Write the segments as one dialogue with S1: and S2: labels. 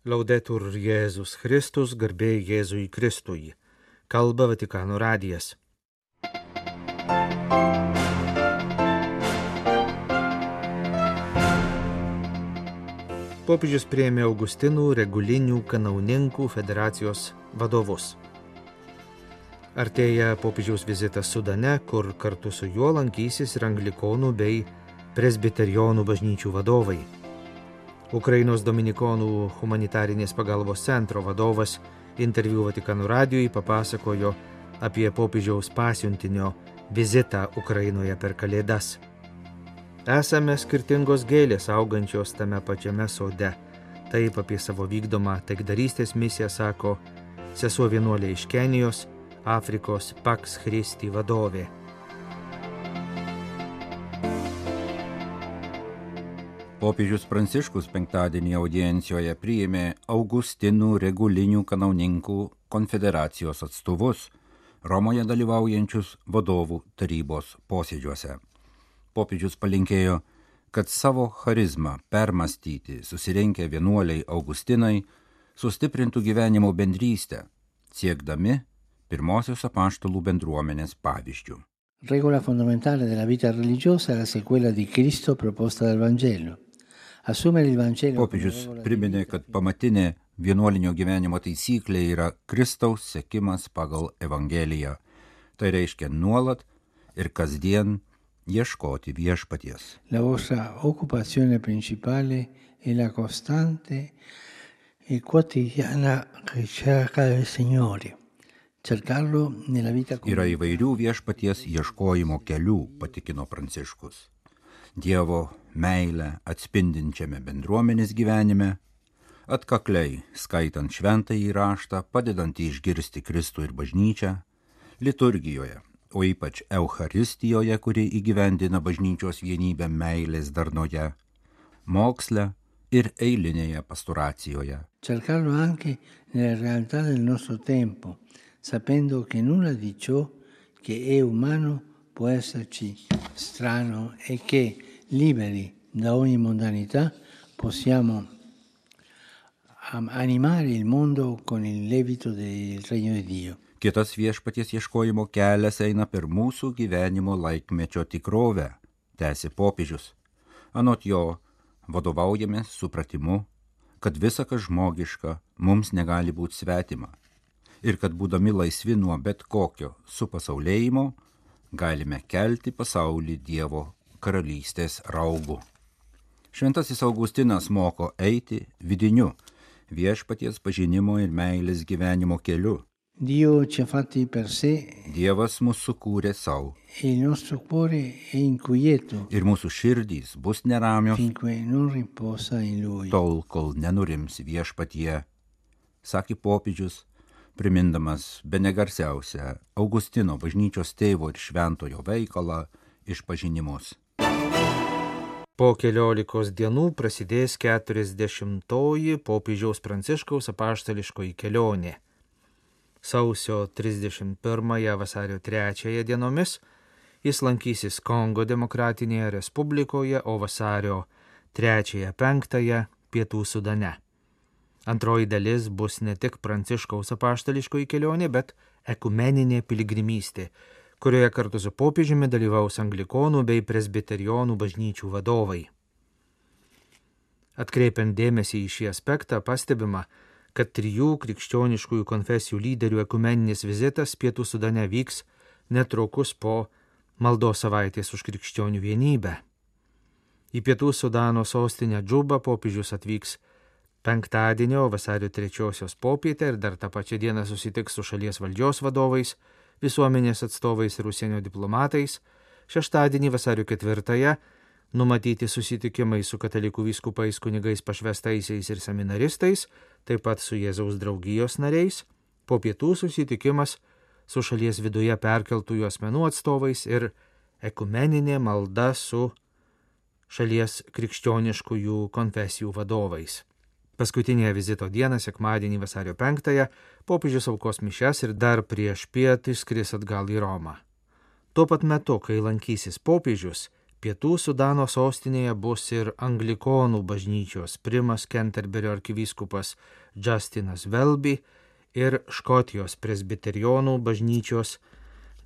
S1: Laudetur Jėzus Kristus, garbė Jėzui Kristui. Kalba Vatikano radijas. Popiežius priėmė Augustinų Regulinių Kanauninkų federacijos vadovus. Artėja popiežiaus vizitas Sudane, kur kartu su juo lankysis ir anglikonų bei presbiterionų bažnyčių vadovai. Ukrainos dominikonų humanitarinės pagalbos centro vadovas interviu Vatikano radijui papasakojo apie popiežiaus pasiuntinio vizitą Ukrainoje per Kalėdas. Esame skirtingos gėlės augančios tame pačiame sode. Taip apie savo vykdomą taikdarystės misiją sako sesuo vienuolė iš Kenijos, Afrikos Pax Christi vadovė.
S2: Popiežius Pranciškus penktadienį audiencijoje priėmė Augustinų Regulinių Kanauninkų konfederacijos atstovus, Romoje dalyvaujančius vadovų tarybos posėdžiuose. Popiežius palinkėjo, kad savo charizmą permastyti susirinkę vienuoliai Augustinai sustiprintų gyvenimo bendrystę, siekdami pirmosios apaštalų bendruomenės pavyzdžių.
S3: Regola fondamentale della vita religiosa è la sequela di Cristo proposta dal Vangelo.
S2: Popiežius priminė, kad pamatinė vienuolinio gyvenimo taisyklė yra Kristaus sekimas pagal Evangeliją. Tai reiškia nuolat ir kasdien ieškoti viešpaties.
S3: La vostra occupazione principale è la costante e quotidiana ricerca del Signore.
S2: Yra įvairių viešpaties ieškojimo kelių, patikino Pranciškus. Dievo meilę atspindinčiame bendruomenės gyvenime, atkakliai skaitant šventąjį raštą, padedant išgirsti Kristų ir bažnyčią, liturgijoje, o ypač Eucharistijoje, kuri įgyvendina bažnyčios vienybę meilės darnoje, moksle ir eilinėje pastoracijoje.
S3: Cercarlo anche nella realtà del nostro tempo, sapendo che nulla di ciò che è umano può esserci strano e che, liberi da ogni mondanità, possiamo animare il mondo con il lievito del regno di Dio.
S2: Kitas viešpaties ieškojimo kelias eina per mūsų gyvenimo laikmečio tikrovę, tęsė popiežius. Anot jo vadovaujamės supratimu, kad visa, kas žmogiška, mums negali būti svetima. Ir kad būdami laisvi nuo bet kokio supasaulėjimo, galime kelti pasaulį Dievo karalystės raugų. Šventasis Augustinas moko eiti vidiniu viešpaties pažinimo ir meilės gyvenimo keliu.
S3: Dio ci ha fatti per sé.
S2: Dievas mus sukūrė savo.
S3: Il nostro cuore è inquieto.
S2: Ir mūsų širdys bus neramios,
S3: finché non riposa in lui.
S2: Tol, kol nenurims viešpatie, sakė popiežius, primindamas bene garsiausią Augustino bažnyčios tėvo ir šventojo veikalą Išpažinimus.
S1: Po 14 dienų prasidės 40-oji popiežiaus Pranciškaus apaštališkoji kelionė. Sausio 31 vasario 3 dienomis jis lankysis Kongo Demokratinėje Respublikoje, o vasario 3-5 Pietų Sudane. Antroji dalis bus ne tik Pranciškaus apaštališkoji kelionė, bet ekumeninė piligrimystė, kurioje kartu su popiežiumi dalyvaus anglikonų bei presbiterionų bažnyčių vadovai. Atkreipiant dėmesį į šį aspektą, pastebima, kad 3 krikščioniškųjų konfesijų lyderių ekumeninis vizitas Pietų Sudane vyks netrukus po maldos savaitės už krikščionių vienybę. Į Pietų Sudano sostinę Džubą popiežius atvyks penktadienio vasario 3 popietę ir dar tą pačią dieną susitiks su šalies valdžios vadovais, visuomenės atstovais ir užsienio diplomatais. Šeštadienį vasario 4 numatyti susitikimai su katalikų vyskupais, kunigais, pašvestaisiais ir seminaristais, taip pat su Jėzaus draugijos nariais. Po pietų susitikimas su šalies viduje perkeltųjų asmenų atstovais ir ekumeninė malda su šalies krikščioniškųjų konfesijų vadovais. Paskutinėje vizito dieną, sekmadienį vasario 5, popiežius aukos mišias ir dar prieš pietą išskris atgal į Romą. Tuo pat metu, kai lankysis popiežius, Pietų Sudano sostinėje bus ir anglikonų bažnyčios primas Kenterberio arkivyskupas Justinas Welby ir Škotijos presbiterionų bažnyčios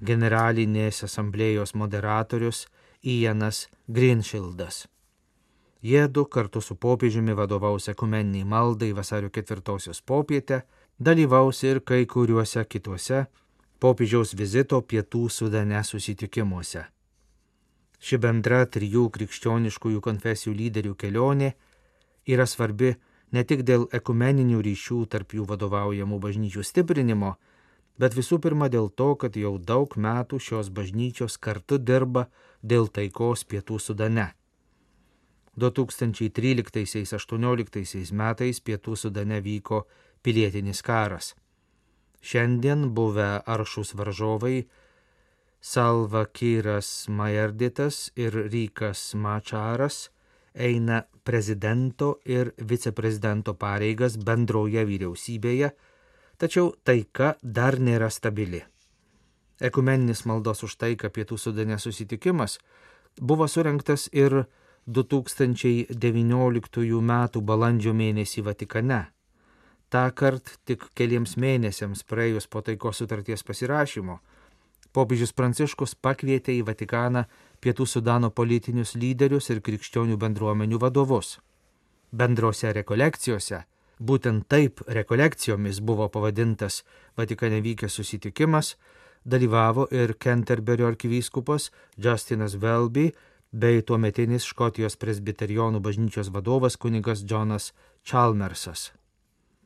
S1: generalinės asamblėjos moderatorius Ianas Greenshildas. Jiedu kartu su popiežiumi vadovaus ekumeniniai maldai vasario 4 popietę, dalyvaus ir kai kuriuose kituose popiežiaus vizito Pietų Sudane susitikimuose. Ši bendra 3 krikščioniškųjų konfesijų lyderių kelionė yra svarbi ne tik dėl ekumeninių ryšių tarp jų vadovaujamų bažnyčių stiprinimo, bet visų pirma dėl to, kad jau daug metų šios bažnyčios kartu dirba dėl taikos Pietų Sudane. 2013–18 metais Pietų Sudane vyko pilietinis karas. Šiandien buvę aršūs varžovai Salva Kiras Majarditas ir Rikas Mačaras eina prezidento ir viceprezidento pareigas bendroje vyriausybėje, tačiau taika dar nėra stabili. Ekumeninis maldos už taiką Pietų Sudane susitikimas buvo surengtas ir 2019 m. balandžio mėnesį Vatikane. Tąkart tik keliems mėnesiams praėjus po taikos sutarties pasirašymo, popiežius Pranciškus pakvietė į Vatikaną Pietų Sudano politinius lyderius ir krikščionių bendruomenių vadovus. Bendrose rekolekcijose, būtent taip rekolekcijomis buvo pavadintas Vatikane vykęs susitikimas, dalyvavo ir Kenterberio arkivyskupas Justinas Welby bei tuometinis Škotijos presbiterionų bažnyčios vadovas kunigas Jonas Chalmersas.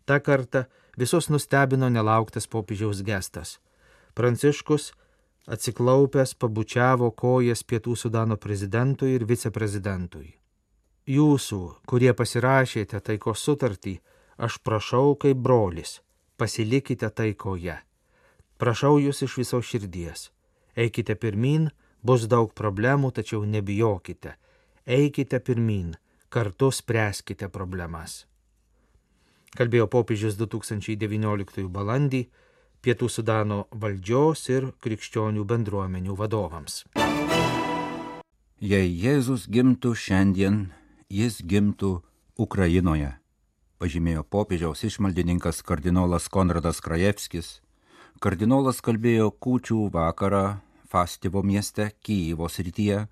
S1: Ta kartą visus nustebino nelauktas popiežiaus gestas. Pranciškus atsiklaupęs pabučiavo kojas Pietų Sudano prezidentui ir viceprezidentui. Jūsų, kurie pasirašėte taikos sutartį, aš prašau kaip brolis, pasilikite taikoje. Prašau jūs iš viso širdies. Eikite pirmyn, bus daug problemų, tačiau nebijokite. Eikite pirmyn, kartu spręskite problemas. Kalbėjo popiežius 2019 balandį Pietų Sudano valdžios ir krikščionių bendruomenių vadovams.
S2: Jei Jėzus gimtų šiandien, jis gimtų Ukrainoje, pažymėjo popiežiaus išmaldininkas kardinolas Konradas Krajevskis. Kardinolas kalbėjo kūčių vakarą Fastivo mieste Kijevo srityje,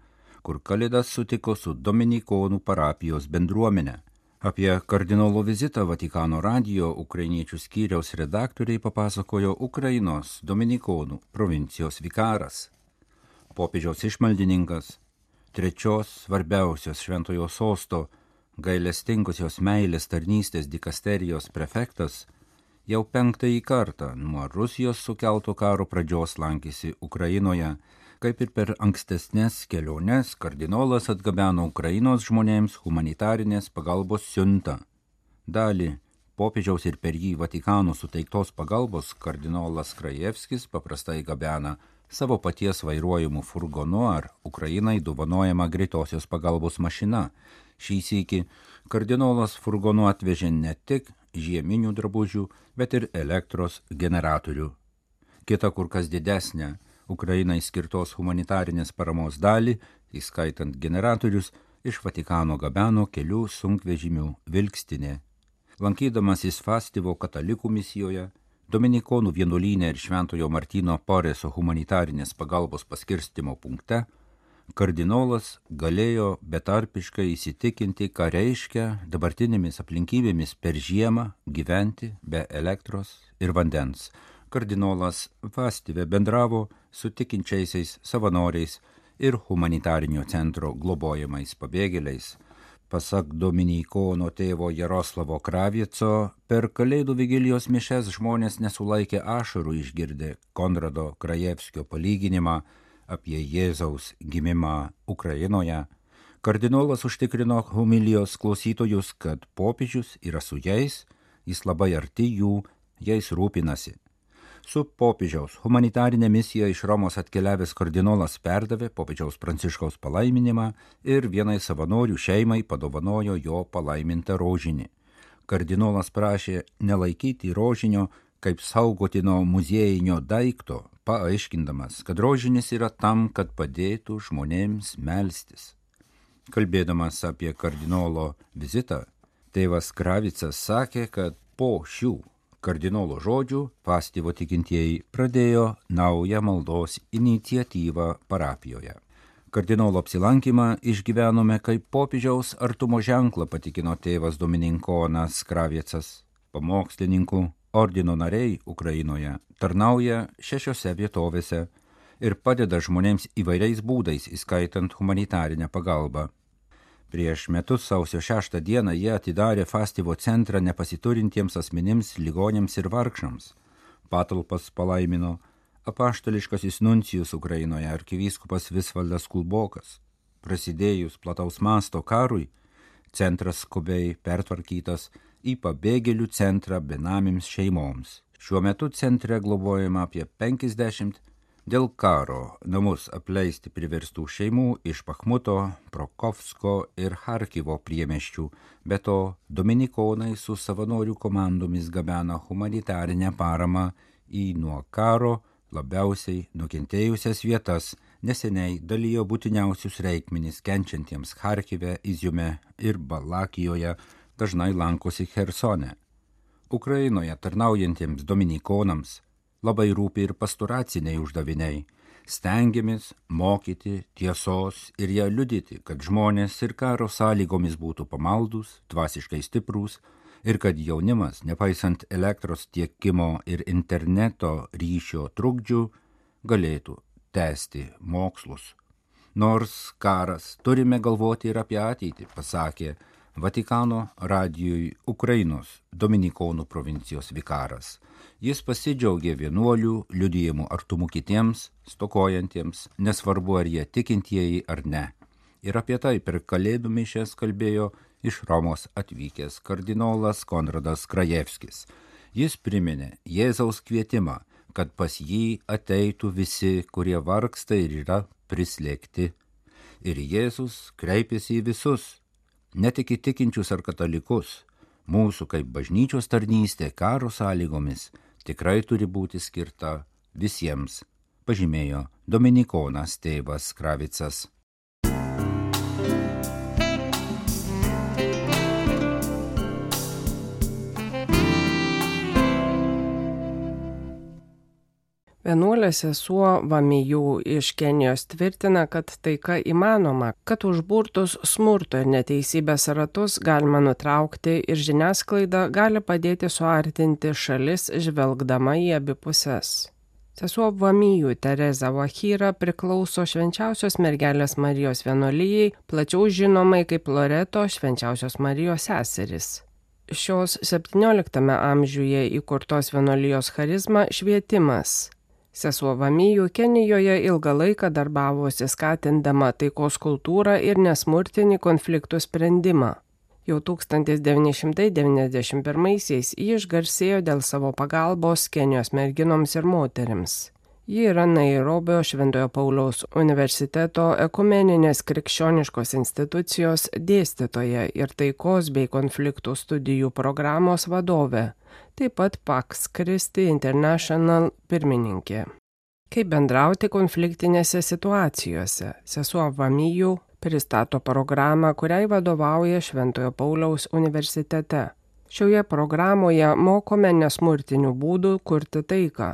S2: kur Kalėdas sutiko su dominikonų parapijos bendruomenė. Apie kardinolo vizitą Vatikano radijo ukrainiečių skyriaus redaktoriai papasakojo Ukrainos dominikonų provincijos vikaras. Popiežiaus išmaldininkas, 3 svarbiausios šventojo sosto gailestingosios meilės tarnystės dikasterijos prefektas, jau 5. kartą nuo Rusijos sukelto karo pradžios lankėsi Ukrainoje. Kaip ir per ankstesnės keliones, kardinolas atgabeno Ukrainos žmonėms humanitarinės pagalbos siuntą. Dalį popiežiaus ir per jį Vatikano suteiktos pagalbos kardinolas Krajevskis paprastai gabena savo paties vairuojamų furgonu ar Ukrainai dovanojama greitosios pagalbos mašina. Šį sykį kardinolas furgonu atvežė ne tik žieminių drabužių, bet ir elektros generatorių. Kita kur kas didesnė Ukrainai skirtos humanitarinės paramos dalį, įskaitant generatorius, iš Vatikano gabeno kelių sunkvežimių vilkstinė. Lankydamasis Fastivo katalikų misijoje, dominikonų vienuolyne ir Šventojo Martyno Poreso humanitarinės pagalbos paskirstimo punkte, kardinolas galėjo betarpiškai įsitikinti, ką reiškia dabartinėmis aplinkybėmis per žiemą gyventi be elektros ir vandens. Kardinolas Fastive bendravo su tikinčiaisiais savanoriais ir humanitarinio centro globojamais pabėgėliais. Pasak dominikono tėvo Jaroslavo Kravieco, per Kalėdų vigilijos mišias žmonės nesulaikė ašarų išgirdę Konrado Krajevskio palyginimą apie Jėzaus gimimą Ukrainoje. Kardinolas užtikrino homilijos klausytojus, kad popiežius yra su jais, jis labai arti jų, jais rūpinasi. Su popiežiaus humanitarinė misija iš Romos atkeliavęs kardinolas perdavė popiežiaus Pranciškaus palaiminimą ir vienai savanorių šeimai padovanojo jo palaimintą rožinį. Kardinolas prašė nelaikyti rožinio kaip saugotino muziejinio daikto, paaiškindamas, kad rožinis yra tam, kad padėtų žmonėms melstis. Kalbėdamas apie kardinolo vizitą, tėvas Kravicas sakė, kad po šių kardinolo žodžių Fastivo tikintieji pradėjo naują maldos iniciatyvą parapijoje. Kardinolo apsilankymą išgyvenome kaip popiežiaus artumo ženklą, patikino tėvas dominikonas Kravicas. Pamokslininkų ordino nariai Ukrainoje tarnauja 6 vietovėse ir padeda žmonėms įvairiais būdais, įskaitant humanitarinę pagalbą. Prieš metus sausio 6 dieną jie atidarė Fastivo centrą nepasiturintiems asmenims, ligoniams ir vargšams. Patalpas palaimino apaštališkasis nuncijus Ukrainoje arkivyskupas Visvaldas Kulbokas. Prasidėjus plataus masto karui, centras skubiai pertvarkytas į pabėgėlių centrą benamims šeimoms. Šiuo metu centre globojama apie 50 dėl karo namus apleisti priverstų šeimų iš Bachmuto, Prokofsko ir Charkivo priemiesčių. Be to, dominikonai su savanorių komandomis gabena humanitarinę paramą į nuo karo labiausiai nukentėjusias vietas, neseniai dalijo būtiniausius reikmenis kenčiantiems Charkive, Iziume ir Balakijoje, dažnai lankosi Chersone. Ukrainoje tarnaujantiems dominikonams labai rūpi ir pastoraciniai uždaviniai. Stengiamės mokyti tiesos ir ją liudyti, kad žmonės ir karo sąlygomis būtų pamaldus, dvasiškai stiprūs ir kad jaunimas, nepaisant elektros tiekimo ir interneto ryšio trukdžių, galėtų tęsti mokslus. Nors karas, turime galvoti ir apie ateitį, pasakė Vatikano radijui Ukrainos dominikonų provincijos vikaras. Jis pasidžiaugė vienuolių liudijimų artumu kitiems, stokojantiems, nesvarbu ar jie tikintieji ar ne. Ir apie tai per kalėdų mišias kalbėjo iš Romos atvykęs kardinolas Konradas Krajevskis. Jis priminė Jėzaus kvietimą, kad pas jį ateitų visi, kurie vargsta ir yra prislėgti. Ir Jėzus kreipėsi į visus, ne tik į tikinčius ar katalikus. Mūsų kaip bažnyčios tarnystė karo sąlygomis tikrai turi būti skirta visiems, pažymėjo dominikonas tėvas Kravicas.
S4: Vienuolė sesuo Vamiju iš Kenijos tvirtina, kad taika įmanoma, kad užburtus smurto ir neteisybės ratus galima nutraukti ir žiniasklaida gali padėti suartinti šalis žvelgdama į abi puses. Sesuo Vamiju Tereza Vahira priklauso Švenčiausios mergelės Marijos vienuolijai, plačiau žinomai kaip Loreto Švenčiausios Marijos seserys. Šios 17 amžiuje įkurtos vienuolijos charizma švietimas. Sesuo Vamiju Kenijoje ilgą laiką darbavosi skatindama taikos kultūrą ir nesmurtinį konfliktų sprendimą. Jau 1991-aisiais ji išgarsėjo dėl savo pagalbos Kenijos merginoms ir moterims. Ji yra Nairobio Šventojo Pauliaus universiteto ekumeninės krikščioniškos institucijos dėstytoja ir taikos bei konfliktų studijų programos vadovė, taip pat Pax Christi International pirmininkė. Kaip bendrauti konfliktinėse situacijose, sesuo Vamiju pristato programą, kuriai vadovauja Šventojo Pauliaus universitete. Šioje programoje mokome nesmurtinių būdų kurti taiką.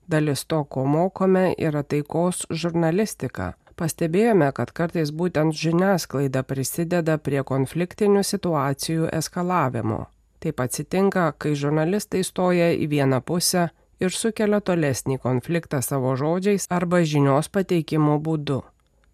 S4: Dalis to, ko mokome, yra taikos žurnalistika. Pastebėjome, kad kartais būtent žiniasklaida prisideda prie konfliktinių situacijų eskalavimo. Taip atsitinka, kai žurnalistai stoja į vieną pusę ir sukelia tolesnį konfliktą savo žodžiais arba žinios pateikimo būdu.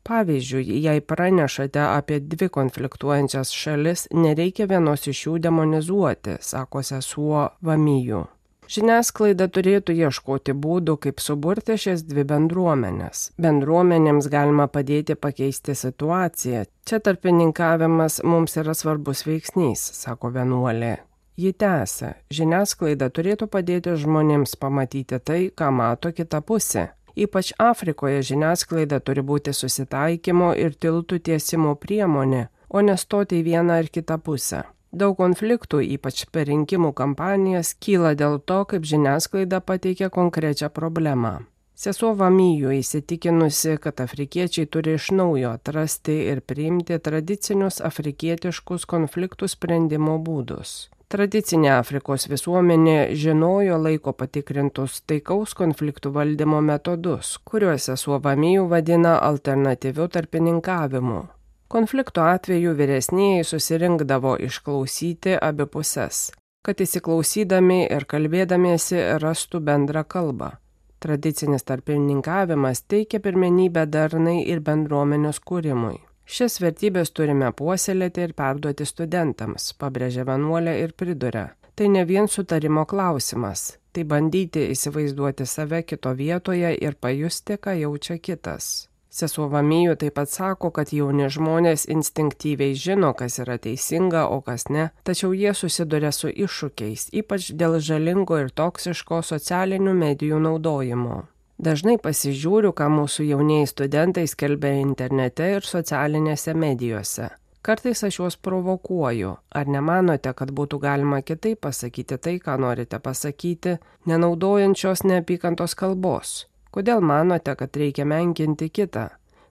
S4: Pavyzdžiui, jei pranešate apie 2 konfliktuojančias šalis, nereikia vienos iš jų demonizuoti, sako sesuo Vamiju. Žiniasklaida turėtų ieškoti būdų, kaip suburti šias 2 bendruomenės. Bendruomenėms galima padėti pakeisti situaciją. Čia tarpininkavimas mums yra svarbus veiksnys, sako vienuolė. Ji tęsia, žiniasklaida turėtų padėti žmonėms pamatyti tai, ką mato kita pusė. Ypač Afrikoje žiniasklaida turi būti susitaikymo ir tiltų tiesimo priemonė, o nestoti į vieną ar kitą pusę. Daug konfliktų, ypač per rinkimų kampanijas, kyla dėl to, kaip žiniasklaida pateikia konkrečią problemą. Sesuo Vamiju įsitikinusi, kad afrikiečiai turi iš naujo atrasti ir priimti tradicinius afrikietiškus konfliktų sprendimo būdus. Tradicinė Afrikos visuomenė žinojo laiko patikrintus taikaus konfliktų valdymo metodus, kuriuos sesuo Vamiju vadina alternatyviu tarpininkavimu. Konflikto atveju vyresnieji susirinkdavo išklausyti abi puses, kad įsiklausydami ir kalbėdamiesi rastų bendrą kalbą. Tradicinis tarpininkavimas teikia pirmenybę darnai ir bendruomenės kūrimui. Šias vertybės turime puoselėti ir perduoti studentams, pabrėžia vienuolė ir priduria. Tai ne vien sutarimo klausimas, tai bandyti įsivaizduoti save kito vietoje ir pajusti, ką jaučia kitas. Sesuo Vamiju taip pat sako, kad jauni žmonės instinktyviai žino, kas yra teisinga, o kas ne, tačiau jie susiduria su iššūkiais, ypač dėl žalingo ir toksiško socialinių medijų naudojimo. Dažnai pasižiūriu, ką mūsų jaunieji studentai skelbia internete ir socialinėse medijose. Kartais aš juos provokuoju. Ar nemanote, kad būtų galima kitaip pasakyti tai, ką norite pasakyti, nenaudojančios neapykantos kalbos? Kodėl manote, kad reikia menkinti kitą?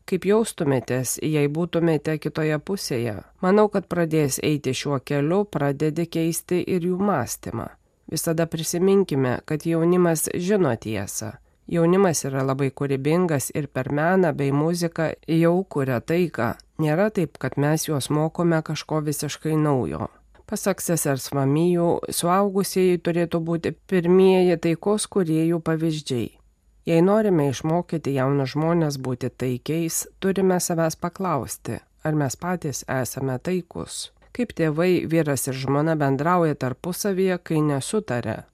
S4: Kaip jaustumėtės, jei būtumėte kitoje pusėje? Manau, kad pradės eiti šiuo keliu, pradedi keisti ir jų mąstymą. Visada prisiminkime, kad jaunimas žino tiesą. Jaunimas yra labai kūrybingas ir per meną bei muziką jau kuria taiką. Nėra taip, kad mes juos mokome kažko visiškai naujo. Pasak sesers Vamiju, suaugusieji turėtų būti pirmieji taikos kūrėjų pavyzdžiai. Jei norime išmokyti jaunus žmonės būti taikiais, turime savęs paklausti, ar mes patys esame taikus. Kaip tėvai, vyras ir žmona bendrauja tarpusavyje, kai nesutaria.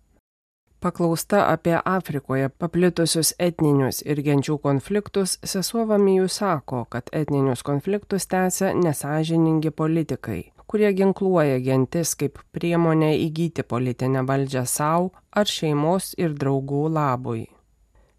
S4: Paklausta apie Afrikoje paplitusius etninius ir genčių konfliktus, sesuo Vamiju sako, kad etninius konfliktus tęsia nesąžiningi politikai, kurie ginkluoja gentis kaip priemonę įgyti politinę valdžią savo ar šeimos ir draugų labui.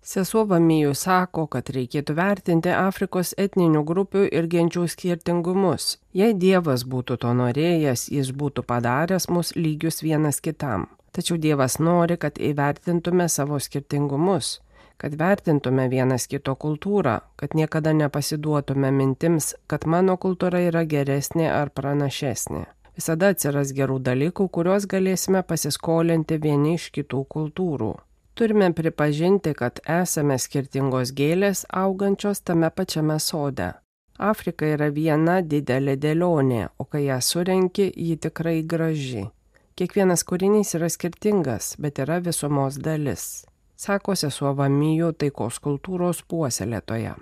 S4: Sesuo Vamiju sako, kad reikėtų vertinti Afrikos etninių grupių ir genčių skirtingumus. Jei Dievas būtų to norėjęs, jis būtų padaręs mus lygius vienas kitam. Tačiau Dievas nori, kad įvertintume savo skirtingumus, kad vertintume vienas kito kultūrą, kad niekada nepasiduotume mintims, kad mano kultūra yra geresnė ar pranašesnė. Visada atsiras gerų dalykų, kuriuos galėsime pasiskolinti vieni iš kitų kultūrų. Turime pripažinti, kad esame skirtingos gėlės augančios tame pačiame sode. Afrika yra viena didelė dėlionė, o kai ją surenki, ji tikrai graži. Kiekvienas kūrinys yra skirtingas, bet yra visumos dalis, sako sesuo Vamiju taikos kultūros puoselėtoja.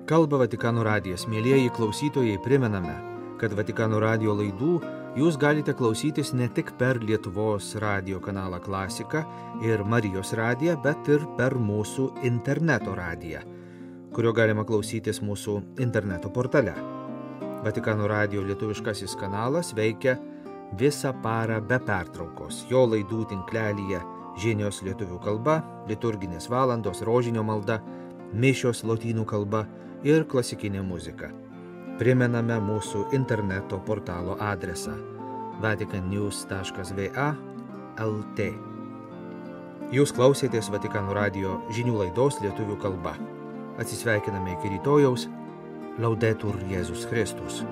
S1: Kalba Vatikano radijas. Mielieji klausytojai, primename, kad Vatikano radijo laidų jūs galite klausytis ne tik per Lietuvos radijo kanalą Klasika ir Marijos radiją, bet ir per mūsų interneto radiją, kurio galima klausytis mūsų interneto portale. Vatikano radijo lietuviškasis kanalas veikia visą parą be pertraukos. Jo laidų tinklelyje žinios lietuvių kalba, liturginės valandos, rožinio malda, mišios lotynų kalba ir klasikinė muzika. Primename mūsų interneto portalo adresą vaticannews.va/lt. Jūs klausėtės Vatikano radijo žinių laidos lietuvių kalba. Atsisveikiname iki rytojaus. Laudetur Jėzus Kristus.